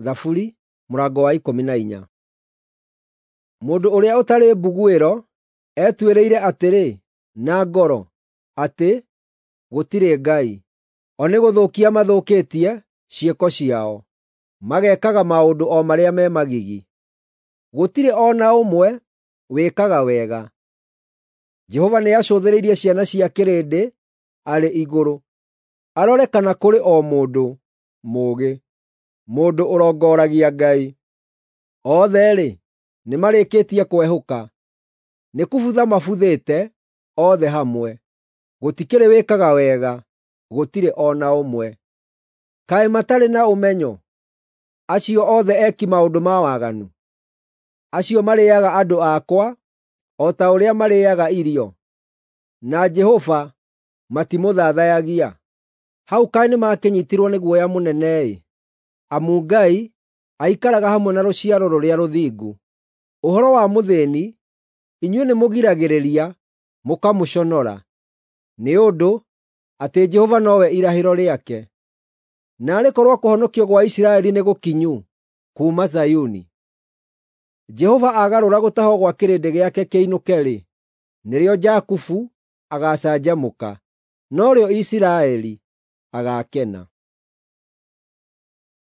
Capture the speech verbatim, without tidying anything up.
Thaburi mũrango wa ikũmi na inya. Mũndũ ũrĩa ũtarĩ mbuguĩro etuĩrĩire atĩrĩ na ngoro atĩ, “Gũtirĩ Ngai.” O nĩ gũthũkia mathũkĩtie ciĩko ciao, magekaga maũndũ o marĩa me magigi. Gũtirĩ o na ũmwe wĩkaga wega. Jehova nĩacũthĩrĩirie ciana cia kĩrĩndĩ arĩ igũrũ, arore kana kũrĩ o mũndũ mũũgĩ, mũndũ ũrongoragia Ngai. Othe-rĩ, nĩmarĩkĩtie kwehũka, nĩ kũbutha mabuthĩte othe hamwe; gũtikĩrĩ wĩkaga wega, gũtirĩ o na ũmwe. Kaĩ matarĩ na ũmenyo, acio othe eki maũndũ ma waganu, acio marĩĩaga andũ akwa o ta ũrĩa marĩĩaga irio, na Jehova matimũthathayagia? Hau kaĩ nĩmakĩnyiitirwo nĩ guoya mũnene-ĩ, amu Ngai aikaraga hamwe na rũciaro rũrĩa rũthingu. Ũhoro wa mũthĩĩni, inyuĩ nĩmũgiragĩrĩria mũkamũconora, nĩ ũndũ atĩ Jehova nowe irahĩro rĩake. Naarĩ korwo kũhonokio gwa Isiraeli nĩ gũkinyu kuuma Zayuni! Jehova aagarũra gũtahwo gwa kĩrĩndĩ gĩake kĩinũke-rĩ, nĩrĩo Jakubu agaacanjamũka, norĩo Isiraeli agaakena.